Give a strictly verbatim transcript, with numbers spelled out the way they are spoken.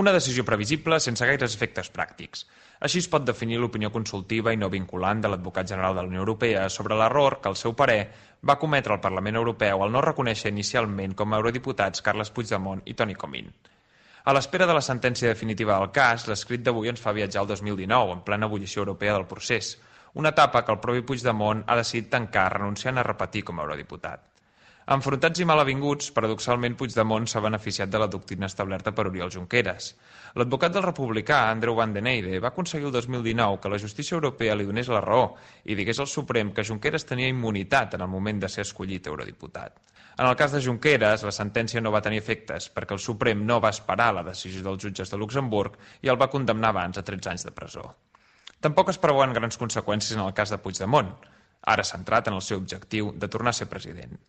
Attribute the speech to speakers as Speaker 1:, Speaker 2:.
Speaker 1: Una decisió previsible sense gaires efectes pràctics. Així es pot definir l'opinió consultiva i no vinculant de l'advocat general de la Unió Europea sobre l'error que, al seu parer, va cometre el Parlament Europeu al no reconèixer inicialment com a eurodiputats Carles Puigdemont i Toni Comín. A l'espera de la sentència definitiva del cas, l'escrit d'avui ens fa viatjar al dos mil dinou, en plena ebullició europea del procés, una etapa que el propi Puigdemont ha decidit tancar renunciant a repetir com a eurodiputat. Enfrontats i malavinguts, paradoxalment Puigdemont s'ha beneficiat de la doctrina establerta per Oriol Junqueras. L'advocat del republicà, Andreu Van den Eide, va aconseguir el dos mil dinou que la justícia europea li donés la raó i digués al Suprem que Junqueras tenia immunitat en el moment de ser escollit eurodiputat. En el cas de Junqueras, la sentència no va tenir efectes perquè el Suprem no va esperar la decisió dels jutges de Luxemburg i el va condemnar abans a tretze anys de presó. Tampoc es preveuen grans conseqüències en el cas de Puigdemont, ara centrat en el seu objectiu de tornar a ser president.